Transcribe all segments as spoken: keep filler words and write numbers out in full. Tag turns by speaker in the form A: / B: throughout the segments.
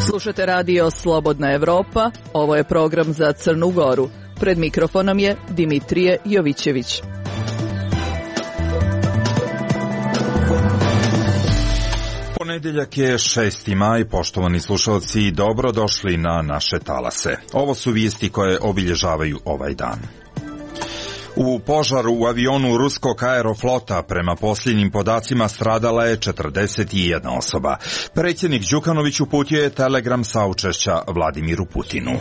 A: Slušate radio Slobodna Evropa, ovo je program za Crnu Goru. Pred mikrofonom je Dimitrije Jovićević.
B: Ponedjeljak je šesti maj, poštovani slušalci, dobro došli na naše talase. Ovo su vijesti koje obilježavaju ovaj dan. U požaru u avionu ruskog aeroflota prema posljednjim podacima stradala je četrdeset jedna osoba. Predsjednik Đukanović uputio je telegram saučešća Vladimiru Putinu.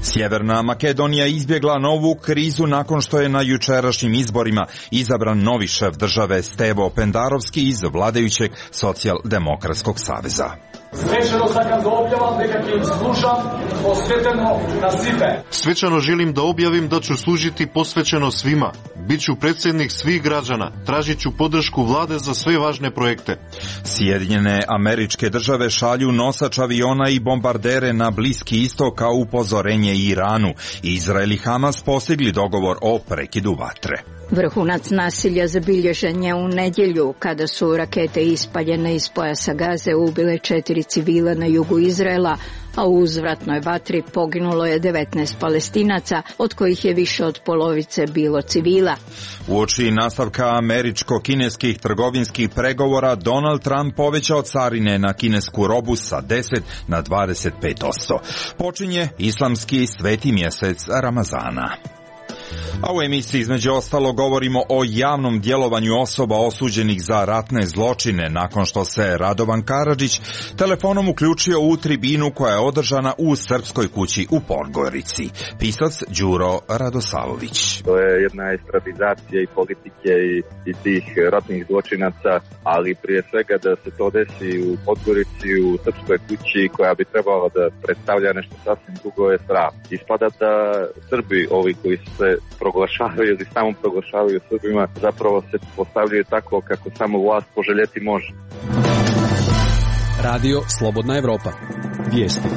B: Sjeverna Makedonija izbjegla novu krizu nakon što je na jučerašnjim izborima izabran novi šef države Stevo Pendarovski iz vladajućeg Socijaldemokratskog saveza.
C: Svečano sakam da objavam nekakvim služam posveteno na svime.
D: Svečano želim da objavim da ću služiti posvećeno svima. Biću predsjednik svih građana. Tražit ću podršku vlade za sve važne projekte.
B: Sjedinjene Američke Države šalju nosač aviona i bombardere na Bliski istok kao upozorenje Iranu. Izrael i Hamas postigli dogovor o prekidu vatre.
E: Vrhunac nasilja zabilježen je u nedjelju kada su rakete ispaljene iz pojasa Gaze ubile četiri civila na jugu Izraela, a u uzvratnoj vatri poginulo je devetnaest Palestinaca, od kojih je više od polovice bilo civila.
B: Uoči nastavka američko-kineskih trgovinskih pregovora, Donald Trump povećao carine na kinesku robu sa deset na dvadeset pet posto. Počinje islamski sveti mjesec Ramazana. A u emisiji između ostalo govorimo o javnom djelovanju osoba osuđenih za ratne zločine nakon što se Radovan Karadžić telefonom uključio u tribinu koja je održana u Srpskoj kući u Podgorici. Pisac Đuro Radosavović.
F: To je jedna estradizacija i politike i, i tih ratnih zločinaca, ali prije svega da se to desi u Podgorici, u Srpskoj kući koja bi trebala da predstavlja nešto sasvim drugo je strah. Ispada da Srbi, ovi koji se proglašavaju ili samo proglašavaju Srbima, zapravo se postavljaju tako kako samo vlast poželjeti može.
G: Radio Slobodna Evropa. Vijesti.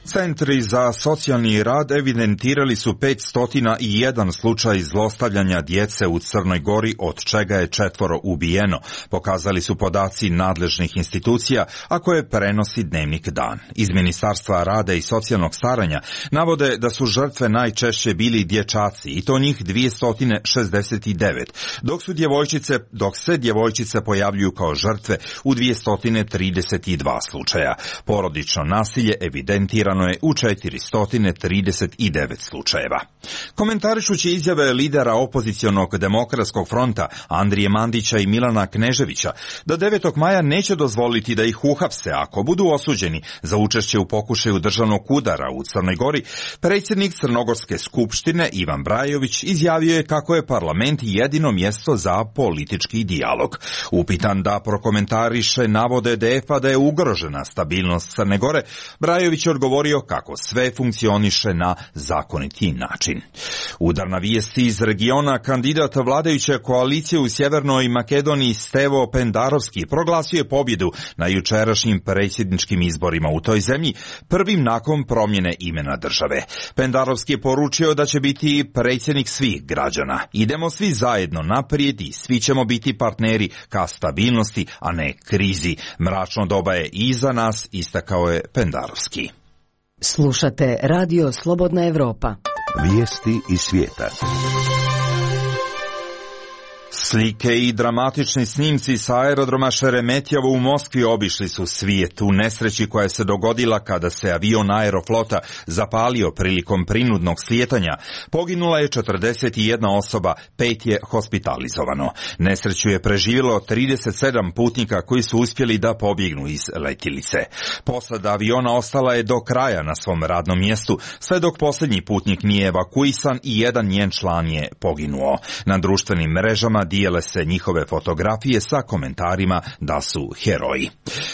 B: Centri za socijalni rad evidentirali su petsto jedan slučaj zlostavljanja djece u Crnoj Gori, od čega je četvoro ubijeno, pokazali su podaci nadležnih institucija, a koje prenosi Dnevnik Dan. Iz Ministarstva rada i socijalnog staranja navode da su žrtve najčešće bili dječaci, i to njih dvjesto šezdeset devet, dok su djevojčice, dok se djevojčice pojavljuju kao žrtve u dvjesto trideset dva slučaja. Porodično nasilje evidentirano je u četiristo trideset devet slučajeva. Komentarišući izjave lidera opozicionog Demokratskog fronta Andrije Mandića i Milana Kneževića da devetog maja neće dozvoliti da ih uhapse ako budu osuđeni za učešće u pokušaju državnog udara u Crnoj Gori, predsjednik Crnogorske skupštine Ivan Brajović izjavio je kako je parlament jedino mjesto za politički dijalog. Upitan da prokomentariše navode D F-a da je ugrožena stabilnost Crne Gore, Brajović je odgovorio kako sve funkcioniše na zakoniti način. Udarna vijesti iz regiona, kandidat vladajuće koalicije u Sjevernoj Makedoniji Stevo Pendarovski proglasio je pobjedu na jučerašnjim predsjedničkim izborima u toj zemlji, prvim nakon promjene imena države. Pendarovski je poručio da će biti predsjednik svih građana. Idemo svi zajedno naprijed i svi ćemo biti partneri ka stabilnosti, a ne krizi. Mračno doba je iza nas, istakao je Pendarovski.
H: Slušate Radio Slobodna Evropa.
I: Vijesti iz svijeta.
B: Slike i dramatični snimci sa aerodroma Šeremetjevo u Moskvi obišli su svijet u nesreći koja se dogodila kada se avion Aeroflota zapalio prilikom prinudnog slijetanja. Poginula je četrdeset jedna osoba, pet je hospitalizovano. Nesreću je preživjelo trideset sedam putnika koji su uspjeli da pobjegnu iz letjelice. Posada aviona ostala je do kraja na svom radnom mjestu, sve dok posljednji putnik nije evakuisan i jedan njen član je poginuo. Na društvenim mrežama dijele se njihove fotografije sa komentarima da su heroji.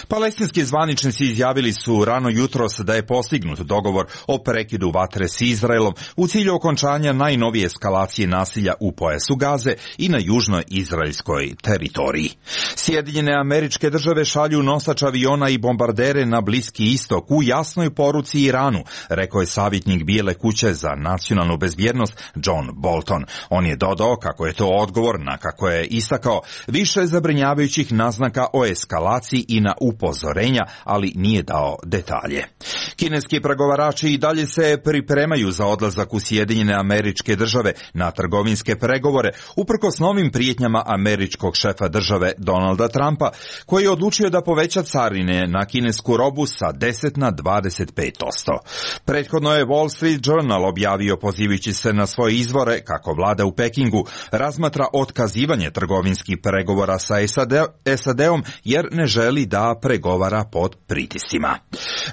B: Palestinski zvaničnici izjavili su rano jutros da je postignut dogovor o prekidu vatre s Izraelom u cilju okončanja najnovije eskalacije nasilja u pojasu Gaze i na južnoj izraelskoj teritoriji. Sjedinjene Američke Države šalju nosač aviona i bombardere na Bliski istok u jasnoj poruci Iranu, rekao je savjetnik Bijele kuće za nacionalnu bezbjednost John Bolton. On je dodao kako je to odgovor na, kako je istakao, više zabrinjavajućih naznaka o eskalaciji i na upozorenja, ali nije dao detalje. Kineski pregovarači i dalje se pripremaju za odlazak u Sjedinjene Američke Države na trgovinske pregovore, uprkos novim prijetnjama američkog šefa države Donalda Trumpa, koji je odlučio da poveća carine na kinesku robu sa deset na dvadeset pet posto. Prethodno je Wall Street Journal objavio, pozivajući se na svoje izvore, kako vlada u Pekingu razmatra otkazivanje trgovinskih pregovora sa S A D-om jer ne želi da pregovara pod pritiscima.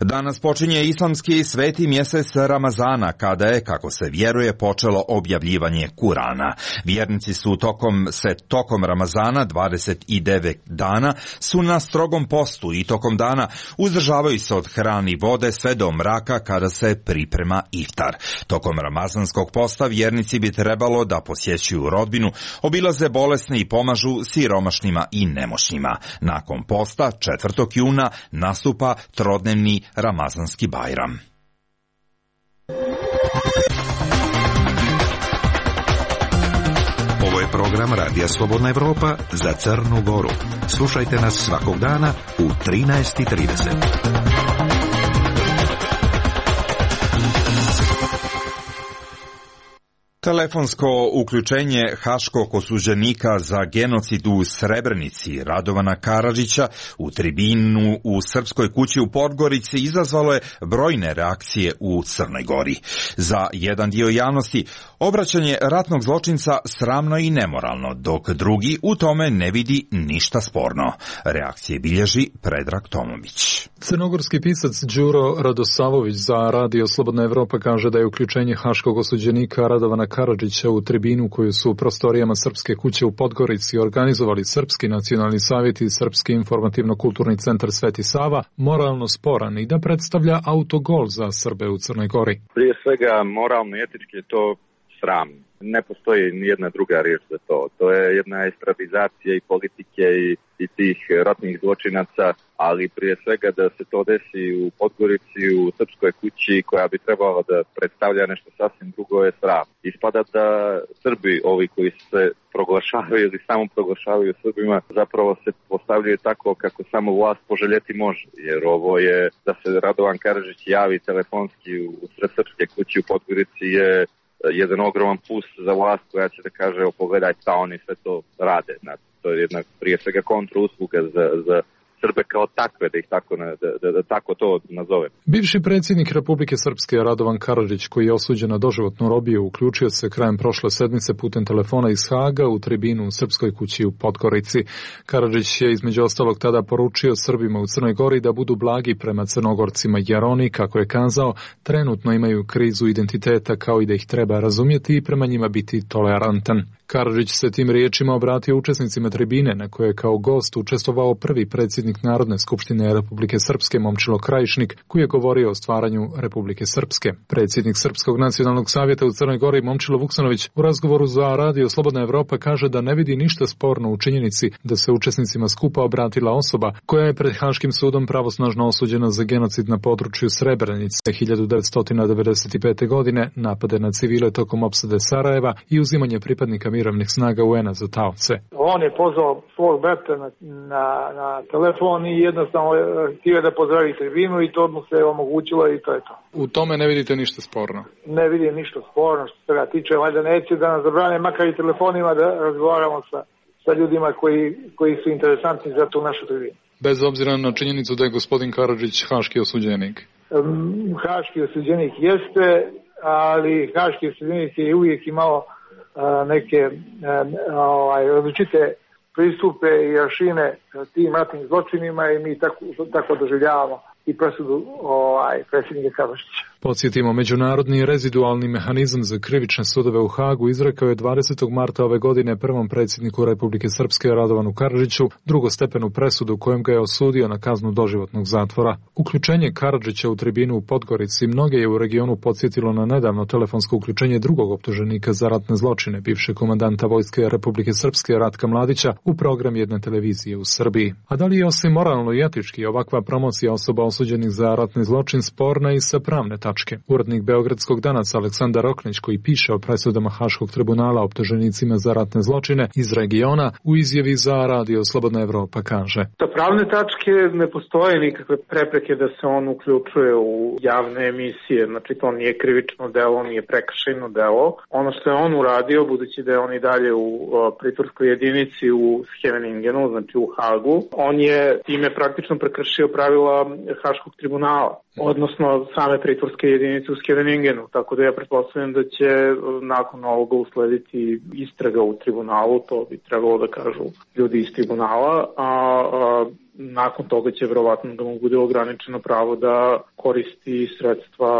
B: Danas počinje islamski sveti mjesec Ramazana, kada je, kako se vjeruje, počelo objavljivanje Kurana. Vjernici su tokom se tokom Ramazana dvadeset devet dana su na strogom postu i tokom dana uzdržavaju se od hrane i vode sve do mraka kada se priprema iftar. Tokom ramazanskog posta vjernici bi trebalo da posjećuju rodbinu, obilaze bolesne i pomažu siromašnima i nemoćnima. Nakon posta četvrtog juna nastupa trodnevni ramazanski bajram.
I: Ovo je program Radija Slobodna Evropa za Crnu Goru. Slušajte nas svakog dana u trinaest i trideset.
B: Telefonsko uključenje haškog osuđenika za genocid u Srebrenici Radovana Karadžića u tribinu u Srpskoj kući u Podgorici izazvalo je brojne reakcije u Crnoj Gori. Za jedan dio javnosti obraćanje ratnog zločinca sramno i nemoralno, dok drugi u tome ne vidi ništa sporno. Reakcije bilježi Predrag Tomović.
J: Crnogorski pisac Đuro Radosavović za Radio Slobodna Evropa kaže da je uključenje haškog osuđenika Radovana Karadžića u tribinu koju su u prostorijama Srpske kuće u Podgorici organizovali Srpski nacionalni savjet i Srpski informativno-kulturni centar Sveti Sava moralno sporan i da predstavlja autogol za Srbe u Crnoj Gori.
F: Prije svega moralno i etički je to sram. Ne postoji ni jedna druga riječ za to. To je jedna estradizacija i politike i, i tih ratnih zločinaca, ali prije svega da se to desi u Podgorici, u Srpskoj kući koja bi trebala da predstavlja nešto sasvim drugo je sram. Ispada da Srbi, ovi koji se proglašavaju ili samo proglašavaju Srbima, zapravo se postavljaju tako kako samo vlast poželjeti može. Jer ovo je, da se Radovan Karadžić javi telefonski u sred Srpske kući u Podgorici je jedan ogroman plus za vlast koja će da kaže, o pogledaj šta oni sve to rade. Znači, to je jedna prije svega kontrausluga za, za Srbe kao takve, da ih tako, da, da, da tako to nazovem.
J: Bivši predsjednik Republike Srpske Radovan Karadžić, koji je osuđen na doživotnu robiju, uključio se krajem prošle sedmice putem telefona iz Haga u tribinu u Srpskoj kući u Podgorici. Karadžić je između ostalog tada poručio Srbima u Crnoj Gori da budu blagi prema Crnogorcima, jer oni, kako je kazao, trenutno imaju krizu identiteta, kao i da ih treba razumjeti i prema njima biti tolerantan. Karadžić se tim riječima obratio učesnicima tribine na kojoj je kao gost učestvovao prvi predsjednik Narodne skupštine Republike Srpske Momčilo Krajišnik, koji je govorio o stvaranju Republike Srpske. Predsjednik Srpskog nacionalnog savjeta u Crnoj Gori Momčilo Vuksanović u razgovoru za Radio Slobodna Evropa kaže da ne vidi ništa sporno u činjenici da se učesnicima skupa obratila osoba koja je pred Haškim sudom pravosnažno osuđena za genocid na području Srebrenice hiljadu devetsto devedeset pete. godine, napade na civile tokom opsade Sarajeva i uzimanje pripadnika mirovnih snaga U N-a za taoce.
K: On je pozvao svog brata na, na, na telefon i jednostavno htio da pozdravi tribinu i to mu se omogućilo i to je to.
J: U tome ne vidite ništa sporno?
K: Ne vidim ništa sporno što se ga tiče, valjda neće da nas zabrane makar i telefonima da razgovaramo sa, sa ljudima koji, koji su interesantni za tu našu tribinu.
J: Bez obzira na činjenicu da je gospodin Karadžić haški osuđenik?
K: Um, haški osuđenik jeste, ali haški osuđenik je uvijek imao neke ovaj, različite pristupe i aršine tim ratnim zločinima i mi tako, tako doživljavamo i presudu ovaj, predsjednika Karadžića.
J: Podsjetimo, Međunarodni rezidualni mehanizam za krivične sudove u Hagu izrekao je dvadesetog marta ove godine prvom predsjedniku Republike Srpske Radovanu Karadžiću drugostepenu presudu kojom ga je osudio na kaznu doživotnog zatvora. Uključenje Karadžića u tribinu u Podgorici mnoge je u regionu podsjetilo na nedavno telefonsko uključenje drugog optuženika za ratne zločine, bivšeg komandanta Vojske Republike Srpske Ratka Mladića, u program jedne televizije u Srbiji. A da li je osim moralno i etički ovakva promocija osoba osuđenih za ratni zločin sporna i sa pravne tačke? Urednik Beogradskog Danaca Aleksandar Oknić, koji piše o presudama Haškog tribunala optuženicima za ratne zločine iz regiona, u izjavi za Radio Slobodna Evropa kaže:
L: Sa pravne tačke ne postoje nikakve prepreke da se on uključuje u javne emisije, znači to nije krivično delo, nije prekršajno delo. Ono što je on uradio, budući da je on i dalje u pritvorskoj jedinici u Scheveningenu, znači u Hagu, on je time praktično prekršio pravila Haškog tribunala, odnosno same pritvorske jedinice u Scheveningenu, tako da ja pretpostavljam da će nakon ovoga uslediti istraga u tribunalu, to bi trebalo da kažu ljudi iz tribunala, a, a nakon toga će verovatno da mu bude ograničeno pravo da koristi sredstva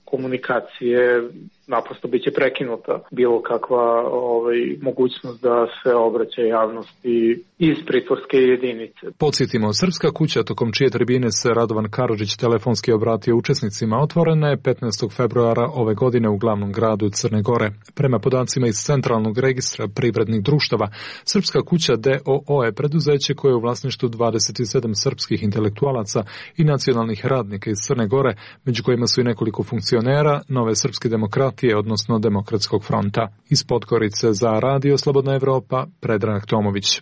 L: komunikacije, naprosto biće prekinuta bilo kakva ovaj, mogućnost da se obraća javnosti iz pritvorske jedinice.
J: Podsjetimo, Srpska kuća, tokom čije tribine se Radovan Karadžić telefonski obratio učesnicima, otvorena je petnaestog februara ove godine u glavnom gradu Crne Gore. Prema podacima iz Centralnog registra privrednih društava, Srpska kuća D O O je preduzeće koje je u vlasništvu dvadeset sedam srpskih intelektualaca i nacionalnih radnika iz Crne Gore, među kojima su i nekoliko funkcionera Nove srpske demokratije, odnosno Demokratskog fronta. Iz Podgorice za Radio Slobodna Evropa, Predrag Tomović.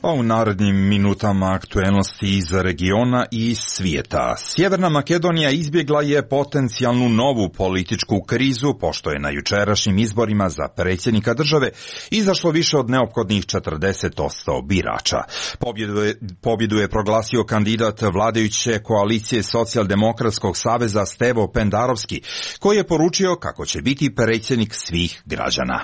B: A u narednim minutama aktuelnosti iz regiona i svijeta. Sjeverna Makedonija izbjegla je potencijalnu novu političku krizu, pošto je na jučerašnjim izborima za predsjednika države izašlo više od neophodnih četrdeset posto birača. Pobjedu je, pobjedu je proglasio kandidat vladajuće koalicije Socijaldemokratskog saveza Stevo Pendarovski, koji je poručio kako će biti predsjednik svih građana.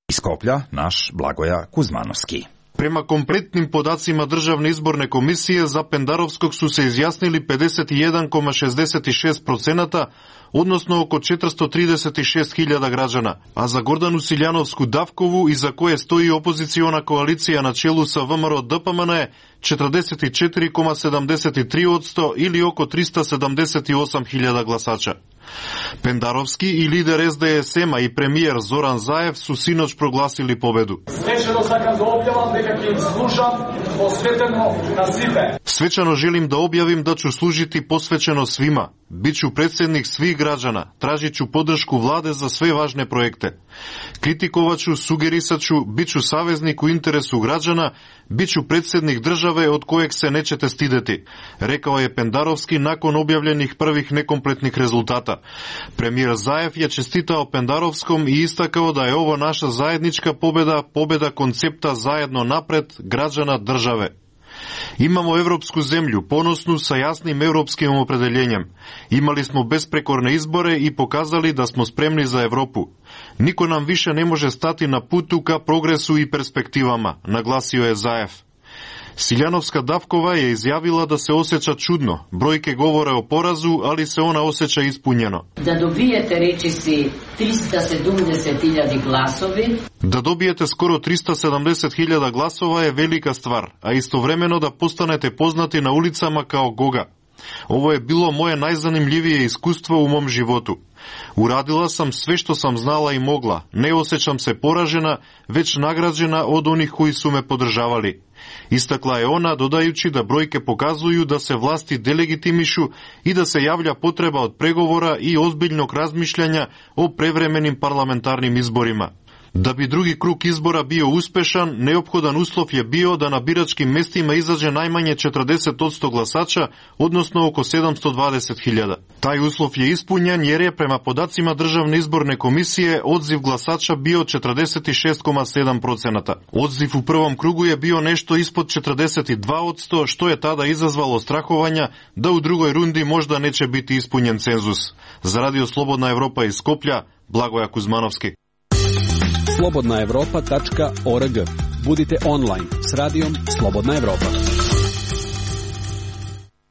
B: Iz Skoplja naš Blagoja Kuzmanovski.
D: Prema kompletnim podacima Državne izborne komisije, za Pendarovskog su se izjasnili pedeset jedan zarez šezdeset šest posto, odnosno oko četiristo trideset šest hiljada građana, a za Gordanu Siljanovsku Davkovu, iza koje stoji opoziciona koalicija na čelu sa V M R O D P M N je četrdeset četiri zarez sedamdeset tri posto ili oko tristo sedamdeset osam hiljada glasača. Pendarovski i lider S D S M-a i premijer Zoran Zaev su sinoć proglasili pobedu. Svečano želim da objavim da ću služiti posvećeno svima. Biću predsjednik svih građana, tražit ću podršku vlade za sve važne projekte. Kritikovat ću, sugerisat ću, bit ću saveznik u interesu građana, bit ću predsjednik države od kojeg se nećete stideti, rekao je Pendarovski nakon objavljenih prvih nekompletnih rezultata. Premijer Zaev je čestitao Pendarovskom i istakao da je ovo naša zajednička pobjeda, pobjeda koncepta zajedno napred građana države. Imamo evropsku zemlju, ponosnu sa jasnim europskim opredeljenjem. Imali smo besprekorne izbore i pokazali da smo spremni za Europu. Niko nam više ne može stati na putu ka progresu i perspektivama, naglasio je Zaev. Siljanovska Davkova je izjavila da se osjeća čudno. Brojke govore o porazu, ali se ona osjeća ispunjeno.
M: Da dobijete, reči si, tristo sedemdeset hiljada glasovi.
D: Da dobijete skoro tristo sedamdeset hiljada glasova je velika stvar, a istovremeno da postanete poznati na ulicama kao Goga. Ovo je bilo moje najzanimljivije iskustvo u mom životu. Uradila sam sve što sam znala i mogla. Ne osjećam se poražena, već nagrađena od onih koji su me podržavali. Istakla je ona, dodajući da brojke pokazuju da se vlasti delegitimišu i da se javlja potreba od pregovora i ozbiljnog razmišljanja o prevremenim parlamentarnim izborima. Da bi drugi krug izbora bio uspešan, neophodan uslov je bio da na biračkim mestima izađe najmanje četrdeset posto glasača, odnosno oko sedamsto dvadeset hiljada. Taj uslov je ispunjen jer je prema podacima Državne izborne komisije odziv glasača bio četrdeset šest zarez sedam posto. Odziv u prvom krugu je bio nešto ispod četrdeset dva posto, što je tada izazvalo strahovanja da u drugoj rundi možda neće biti ispunjen cenzus. Za Radio Slobodna Evropa iz Skoplja, Blagoja Kuzmanovski.
G: slobodna evropa tačka org. Budite online s radijom Slobodna Evropa.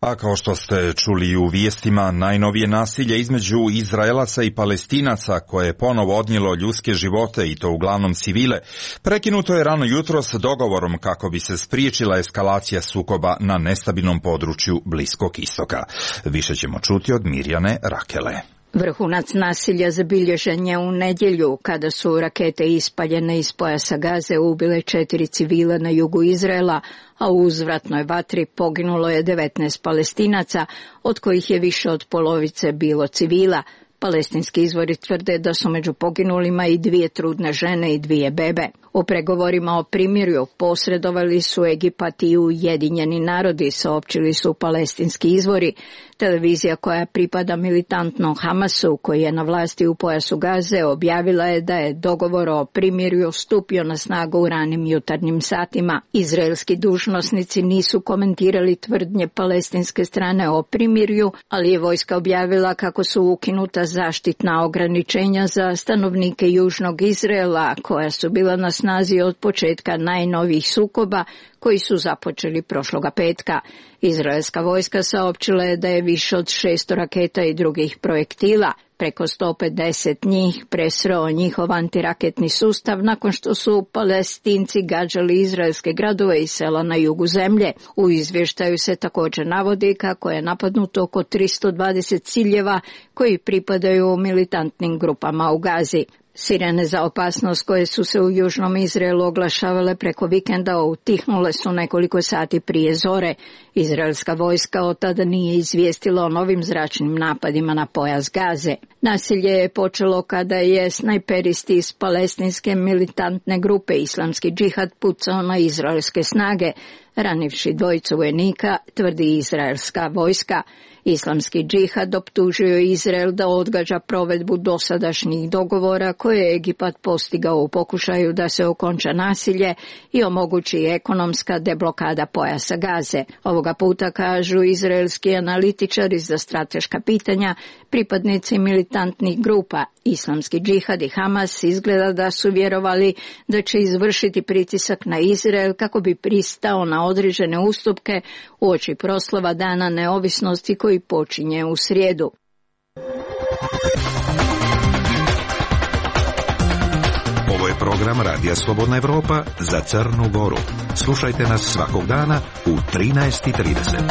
B: A kao što ste čuli u vijestima, najnovije nasilje između Izraelaca i Palestinaca, koje je ponovo odnijelo ljudske živote i to uglavnom civile, prekinuto je rano jutros dogovorom kako bi se spriječila eskalacija sukoba na nestabilnom području Bliskog istoka. Više ćemo čuti od Mirjane Rakele.
E: Vrhunac nasilja zabilježen je u nedjelju kada su rakete ispaljene iz pojasa Gaze ubile četiri civila na jugu Izraela, a u uzvratnoj vatri poginulo je devetnaest Palestinaca, od kojih je više od polovice bilo civila. Palestinski izvori tvrde da su među poginulima i dvije trudne žene i dvije bebe. U pregovorima o primirju posredovali su Egipat i Ujedinjeni narodi, saopćili su palestinski izvori. Televizija koja pripada militantnom Hamasu, koji je na vlasti u pojasu Gaze, objavila je da je dogovor o primirju stupio na snagu u ranim jutarnjim satima. Izraelski dužnosnici nisu komentirali tvrdnje palestinske strane o primirju, ali je vojska objavila kako su ukinuta zaštitna ograničenja za stanovnike južnog Izraela, koja su bila na snazi od početka najnovijih sukoba koji su započeli prošloga petka. Izraelska vojska saopćila je da je više od šesto raketa i drugih projektila, preko sto pedeset njih, presreo njihov antiraketni sustav nakon što su Palestinci gađali izraelske gradove i sela na jugu zemlje. U izvještaju se također navodi kako je napadnuto oko tristo dvadeset ciljeva koji pripadaju militantnim grupama u Gazi. Sirene za opasnost koje su se u južnom Izraelu oglašavale preko vikenda utihnule su nekoliko sati prije zore. Izraelska vojska od tada nije izvijestila o novim zračnim napadima na pojas Gaze. Nasilje je počelo kada je snajperisti iz palestinske militantne grupe Islamski džihad pucao na izraelske snage, ranivši dvojicu vojnika, tvrdi izraelska vojska. Islamski džihad optužio Izrael da odgađa provedbu dosadašnjih dogovora koje je Egipat postigao u pokušaju da se okonča nasilje i omogući ekonomska deblokada pojasa Gaze. Ovoga puta, kažu izraelski analitičari za strateška pitanja, pripadnici militantnih grupa Islamski džihad i Hamas izgleda da su vjerovali da će izvršiti pritisak na Izrael kako bi pristao na određene ustupke uoči proslava Dana neovisnosti koji počinje u srijedu.
I: Ovo je program Radija Slobodna Evropa za Crnu Goru. Slušajte nas svakog dana u trinaest i trideset.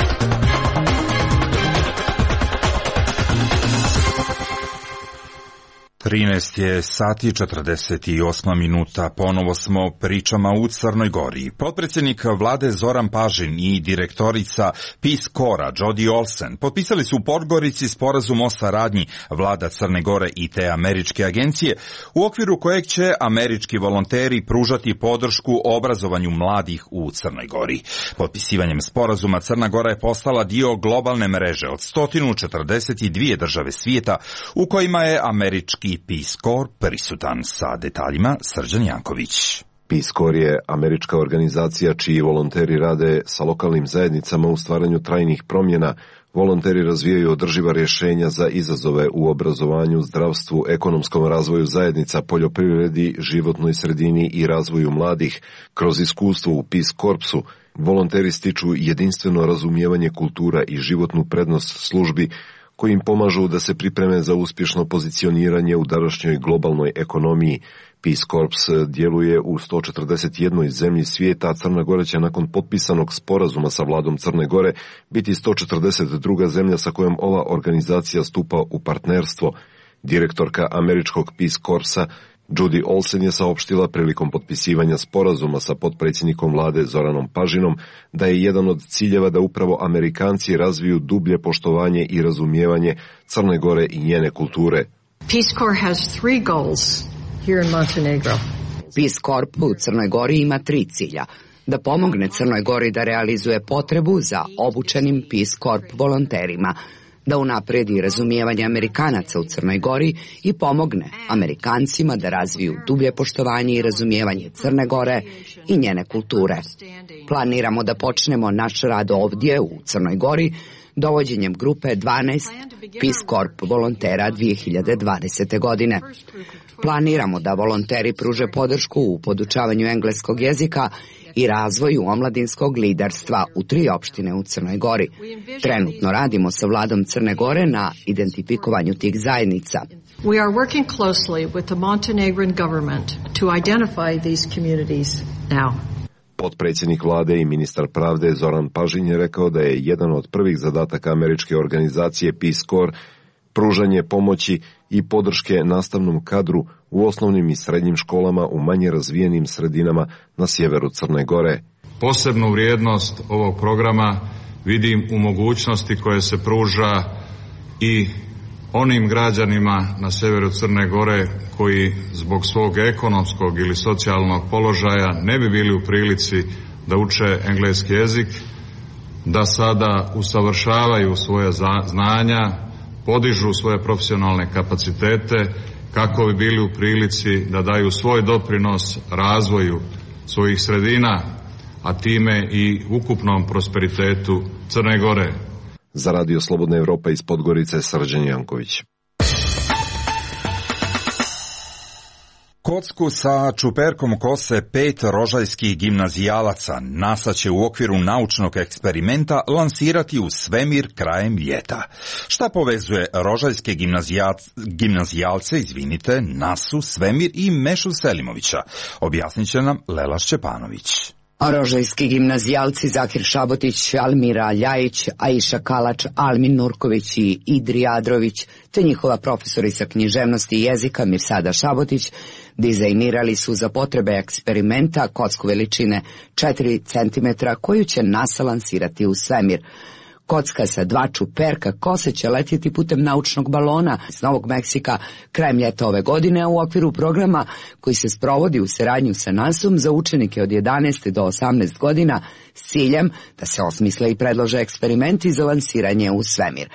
B: trinaest je sati četrdeset osam minuta, ponovo smo pričama u Crnoj Gori. Potpredsjednik vlade Zoran Pažin i direktorica Peace Corps-a Jody Olsen potpisali su u Podgorici sporazum o saradnji vlada Crne Gore i te američke agencije, u okviru kojeg će američki volonteri pružati podršku obrazovanju mladih u Crnoj Gori. Potpisivanjem sporazuma Crna Gora je postala dio globalne mreže od sto četrdeset dvije države svijeta u kojima je američki Peace Corps prisutan. Sa detaljima Srđan Janković.
N: Peace Corps je američka organizacija čiji volonteri rade sa lokalnim zajednicama u stvaranju trajnih promjena. Volonteri razvijaju održiva rješenja za izazove u obrazovanju, zdravstvu, ekonomskom razvoju zajednica, poljoprivredi, životnoj sredini i razvoju mladih. Kroz iskustvo u Peace Corpsu volonteri stiču jedinstveno razumijevanje kultura i životnu prednost službi koji im pomažu da se pripreme za uspješno pozicioniranje u današnjoj globalnoj ekonomiji. Peace Corps djeluje u sto četrdeset jednoj zemlji svijeta, a Crna Gora će nakon potpisanog sporazuma sa vladom Crne Gore biti sto četrdeset druga zemlja sa kojom ova organizacija stupa u partnerstvo. Direktorka američkog Peace Corpsa Jody Olsen je saopštila prilikom potpisivanja sporazuma sa potpredsjednikom vlade Zoranom Pažinom da je jedan od ciljeva da upravo Amerikanci razviju dublje poštovanje i razumijevanje Crne Gore i njene kulture.
O: Peace Corps has three goals here in Montenegro.
P: Peace Corps u Crnoj Gori ima tri cilja. Da pomogne Crnoj Gori da realizuje potrebu za obučenim Peace Corps volonterima, da unapredi razumijevanje Amerikanaca u Crnoj Gori i pomogne Amerikancima da razviju dublje poštovanje i razumijevanje Crne Gore i njene kulture. Planiramo da počnemo naš rad ovdje u Crnoj Gori dovođenjem grupe dvanaest Peace Corps volontera dvije hiljade dvadesete. godine. Planiramo da volonteri pruže podršku u podučavanju engleskog jezika i razvoju omladinskog liderstva u tri opštine u Crnoj Gori. Trenutno radimo sa vladom Crne Gore na identifikovanju tih zajednica.
O: We are working closely with the Montenegrin government to identify these communities now.
N: Potpredsjednik vlade i ministar pravde Zoran Pažin je rekao da je jedan od prvih zadataka američke organizacije Peace Corps pružanje pomoći i podrške nastavnom kadru u osnovnim i srednjim školama u manje razvijenim sredinama na sjeveru Crne Gore.
Q: Posebnu vrijednost ovog programa vidim u mogućnosti koje se pruža i onim građanima na sjeveru Crne Gore koji zbog svog ekonomskog ili socijalnog položaja ne bi bili u prilici da uče engleski jezik, da sada usavršavaju svoje znanja, podižu svoje profesionalne kapacitete kako bi bili u prilici da daju svoj doprinos razvoju svojih sredina, a time i ukupnom prosperitetu Crne Gore.
N: Za Radio Slobodna Evropa iz Podgorice, Srđan Janković.
B: Kocku sa čuperkom kose pet rožajskih gimnazijalaca NASA će u okviru naučnog eksperimenta lansirati u svemir krajem ljeta. Šta povezuje rožajske gimnazijalce, izvinite, nasu, svemir i Mešu Selimovića? Objasnit će nam Lela Šćepanović.
P: Rožajski gimnazijalci Zakir Šabotić, Almira Ljajić, Aisha Kalač, Almin Nurković i Idri Adrović, te njihova profesorica književnosti i jezika Mirsada Šabotić, dizajnirali su za potrebe eksperimenta kocku veličine četiri centimetra koju će NASA lansirati u svemir. Kocka sa dva čuperka kose će letjeti putem naučnog balona iz Novog Meksika krajem ljeta ove godine u okviru programa koji se sprovodi u saradnju sa nasom za učenike od jedanaeste do osamnaeste godina s ciljem da se osmisle i predlože eksperimenti za lansiranje u svemir.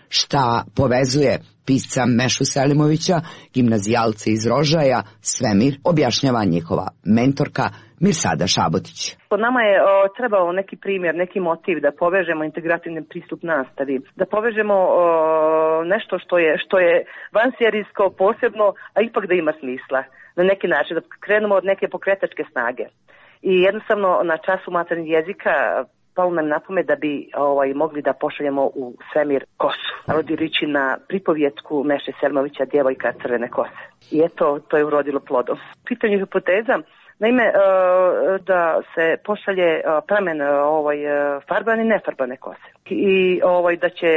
P: Šta povezuje pisca Mešu Selimovića, gimnazijalce iz Rožaja, svemir, objašnjava njihova mentorka Mirsada Šabotić.
R: Po nama je o, trebao neki primjer, neki motiv da povežemo integrativni pristup nastavi, da povežemo o, nešto što je, što je vanserijsko posebno, a ipak da ima smisla na neki način, da krenemo od neke pokretačke snage. I jednostavno na času maternjeg jezika palo nam na pamet da bi ovaj, mogli da pošaljemo u svemir kosu, rodilići na pripovjetku Meše Selimovića Djevojka crvene kose. I eto, to je urodilo plodom. Pitanje hipoteza, naime, da se pošalje pramen ovaj, farbane i nefarbane kose. I ovaj, da će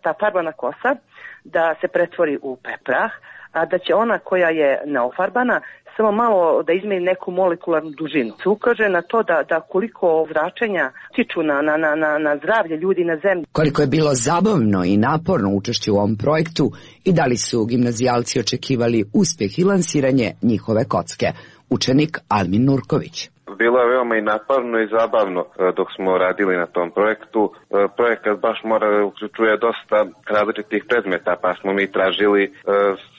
R: ta farbana kosa da se pretvori u peprah, a da će ona koja je neofarbana samo malo da izmeni neku molekularnu dužinu. Se ukaže na to da, da koliko zračenja tiču na, na, na, na zdravlje ljudi na zemlji.
P: Koliko je bilo zabavno i naporno učešće u ovom projektu i da li su gimnazijalci očekivali uspjeh i lansiranje njihove kocke. Učenik Almin Nurković.
S: Bilo je veoma i naporno i zabavno dok smo radili na tom projektu. Projekat baš mora uključuje dosta različitih predmeta, pa smo mi tražili uh,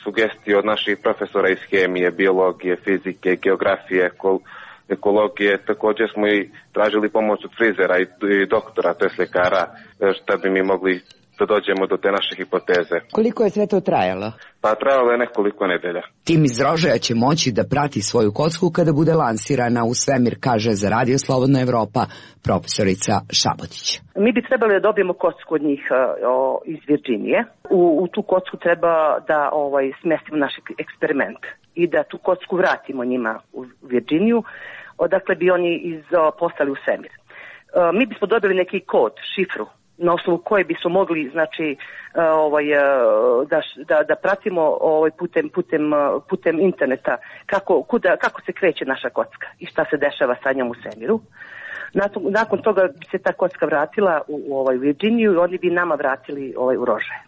S: sugestije od naših profesora iz hemije, biologije, fizike, geografije, ekol- ekologije. Također smo i tražili pomoć od frizera i, i doktora, to je ljekara, šta bi mi mogli da dođemo do te naše hipoteze.
P: Koliko je sve to trajalo?
S: Pa trajalo je nekoliko nedelja.
P: Tim iz Rožaja će moći da prati svoju kocku kada bude lansirana u svemir, kaže za Radio Slobodna Evropa profesorica Šabotić.
R: Mi bi trebali da dobijemo kocku od njih o, iz Virginije. U, u tu kocku treba da ovaj, smestimo naš eksperiment i da tu kocku vratimo njima u Virginiju, odakle bi oni iz, o, postali u svemir. O, mi bismo dobili neki kod, šifru, na osnovu koje bismo mogli, znači, ovaj, da, da, da pratimo ovaj, putem, putem, putem interneta kako, kuda, kako se kreće naša kocka i šta se dešava sa njom u svemiru. Nakon, nakon toga bi se ta kocka vratila u, u ovaj Virginiju i oni bi nama vratili ovaj, u Rožaje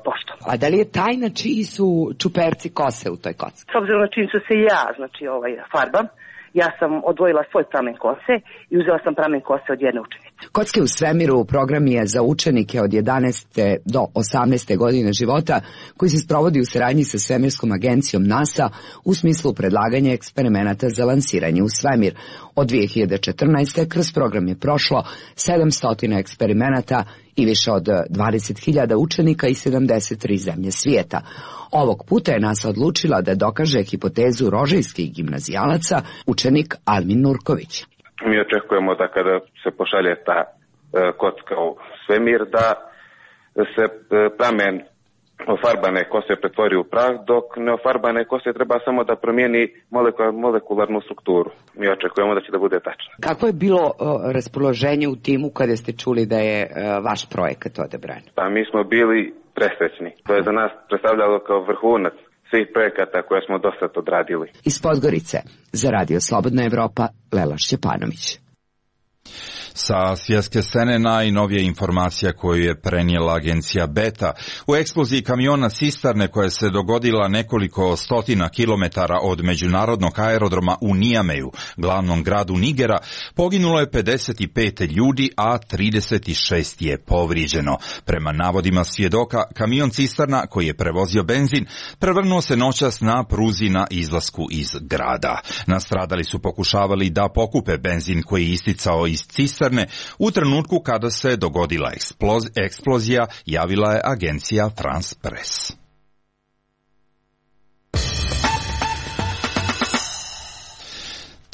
R: poštom.
P: A da li je tajna čiji su čuperci kose u toj kocki?
R: S obzirom na čim su se ja, znači, ovaj, farbam, ja sam odvojila svoj pramen kose i uzela sam pramen kose od jedne učenice.
P: Kocke u svemiru program je za učenike od jedanaeste do osamnaeste godine života koji se sprovodi u saradnji sa svemirskom agencijom NASA u smislu predlaganja eksperimenata za lansiranje u svemir. Od dvije hiljade četrnaeste. kroz program je prošlo sedamsto eksperimenata i više od dvadeset hiljada učenika iz sedamdeset tri zemlje svijeta. Ovog puta je NASA odlučila da dokaže hipotezu rožajskih gimnazijalaca, učenik Almin Nurković.
S: Mi očekujemo da kada se pošalje ta e, kocka u svemir, da se e, pramen ofarbane kose pretvori u prah, dok neofarbane kose treba samo da promijeni molekularnu strukturu. Mi očekujemo da će da bude tačno.
P: Kako je bilo o, raspoloženje u timu kada ste čuli da je o, vaš projekat odabran?
S: Pa mi smo bili presrećni. To je za nas predstavljalo kao vrhunac svih projekata koje smo do sad odradili.
P: Iz Podgorice, za Radio Slobodna Evropa, Lela Šćepanović.
B: Sa svjetske scene najnovija informacija koju je prenijela agencija Beta. U eksploziji kamiona Sistarne koja se dogodila nekoliko stotina kilometara od međunarodnog aerodroma u Nijameju, glavnom gradu Nigera, poginulo je pedeset pet ljudi, a trideset šest je povrijeđeno. Prema navodima svjedoka, kamion Cisterna koji je prevozio benzin prevrnuo se noćas na pruzi na izlasku iz grada. Nastradali su pokušavali da pokupe benzin koji je isticao iz Cisterne. U trenutku kada se dogodila eksplozija, javila je agencija France Press.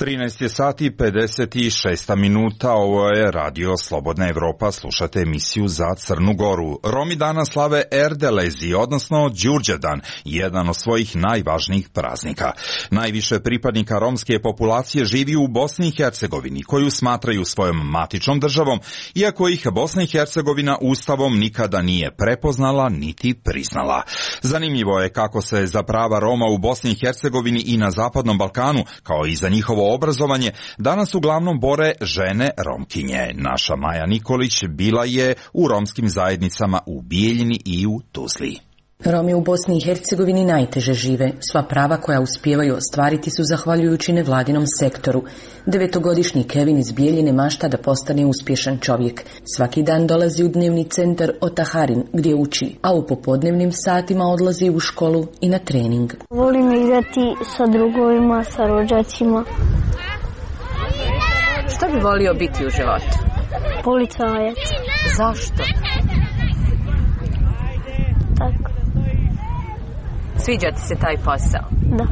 B: trinaest je sati pedeset šest minuta, ovo je Radio Slobodna Evropa, slušate emisiju za Crnu Goru. Romi danas slave Erdelezi, odnosno Đurđevdan, jedan od svojih najvažnijih praznika. Najviše pripadnika romske populacije živi u Bosni i Hercegovini, koju smatraju svojom matičnom državom, iako ih Bosna i Hercegovina ustavom nikada nije prepoznala niti priznala. Zanimljivo je kako se za prava Roma u Bosni i Hercegovini i na Zapadnom Balkanu, kao i za njihovo obrazovanje, danas uglavnom bore žene Romkinje. Naša Maja Nikolić bila je u romskim zajednicama u Bijeljini i u Tuzli.
T: Romi u Bosni i Hercegovini najteže žive. Sva prava koja uspijevaju ostvariti su zahvaljujući nevladinom sektoru. Devetogodišnji Kevin iz Bijeljine mašta da postane uspješan čovjek. Svaki dan dolazi u dnevni centar Otaharin gdje uči, a u popodnevnim satima odlazi u školu i na trening.
U: Volim igrati sa drugovima, sa rođacima.
T: Što bi volio biti u životu?
U: Policajac.
T: Zašto?
U: Tako.
T: Sviđa ti se taj posao?
U: Da.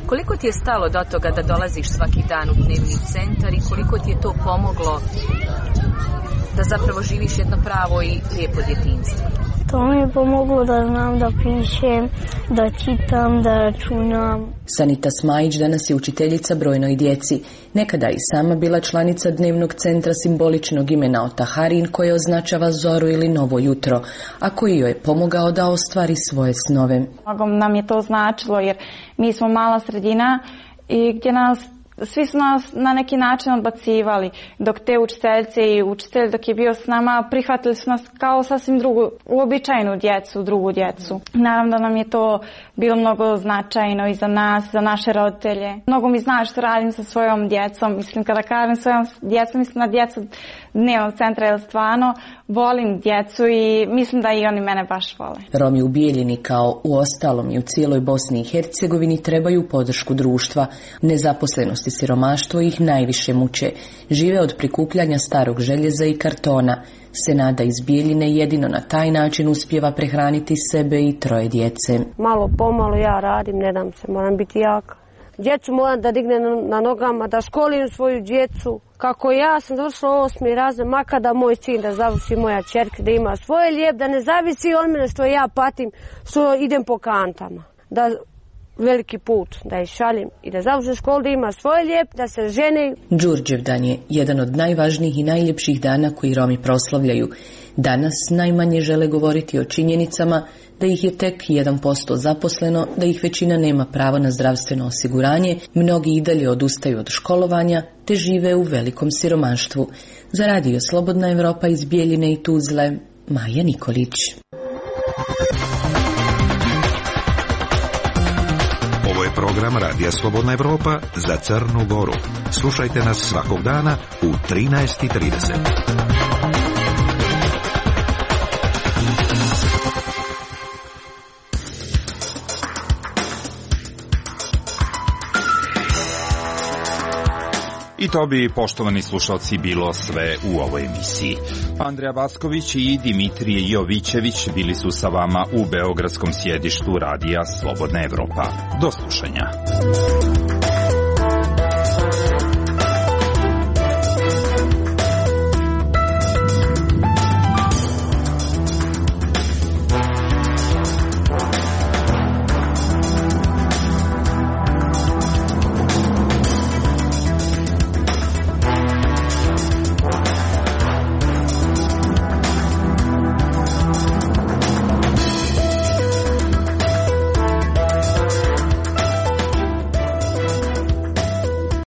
T: Koliko ti je stalo do toga da dolaziš svaki dan u dnevni centar i koliko ti je to pomoglo da zapravo živiš jedno pravo i lijepo djetinjstvo?
U: To mi je pomoglo da znam da pišem, da čitam, da računam.
T: Sanita Smajić danas je učiteljica brojnoj djeci. Nekada i sama bila članica dnevnog centra simboličnog imena Otaharin koje označava zoru ili novo jutro, a koji joj je pomogao da ostvari svoje snove.
V: Mnogo nam je to značilo jer mi smo mala sredina i gdje nas svi su nas na neki način odbacivali, dok te učiteljice i učitelj dok je bio s nama prihvatili su nas kao sasvim drugu, uobičajenu djecu, drugu djecu. Naravno da nam je to bilo mnogo značajno i za nas, za naše roditelje. Mnogo mi znači što radim sa svojom djecom, mislim kada kažem svojom djecom, mislim na djecu dnevnog centra, jer stvarno volim djecu i mislim da i oni mene baš vole.
T: Romi u Bijeljini kao u ostalom i u cijeloj Bosni i Hercegovini trebaju podršku društva. Nezaposlenost i siromaštvo ih najviše muče. Žive od prikupljanja starog željeza i kartona. Senada iz Bijeljine jedino na taj način uspijeva prehraniti sebe i troje djece.
U: Malo pomalo ja radim, ne dam se, moram biti jaka. Djecu moram da dignem na nogama, da školim svoju djecu. Kako ja sam završila osmi razred, makar da moj sin da završi, moja čerka da ima svoje lijep, da ne zavisi od mene što ja patim, što idem po kantama. Da veliki put, da je šalim i da završi školu, da ima svoje lijep, da se žene.
T: Đurđevdan je jedan od najvažnijih i najljepših dana koji Romi proslavljaju. Danas najmanje žele govoriti o činjenicama da ih je tek jedan posto zaposleno, da ih većina nema pravo na zdravstveno osiguranje, mnogi i dalje odustaju od školovanja, te žive u velikom siromaštvu. Za Radio Slobodna Evropa iz Bijeljine i Tuzle, Maja Nikolić.
I: Ovo je program program Radija Slobodna Evropa za Crnu Goru. Slušajte nas svakog dana u trinaest i trideset.
B: I to bi, poštovani slušalci, bilo sve u ovoj emisiji. Andreja Vasković i Dimitrije Jovićević bili su sa vama u beogradskom sjedištu Radija Slobodna Evropa. Do slušanja.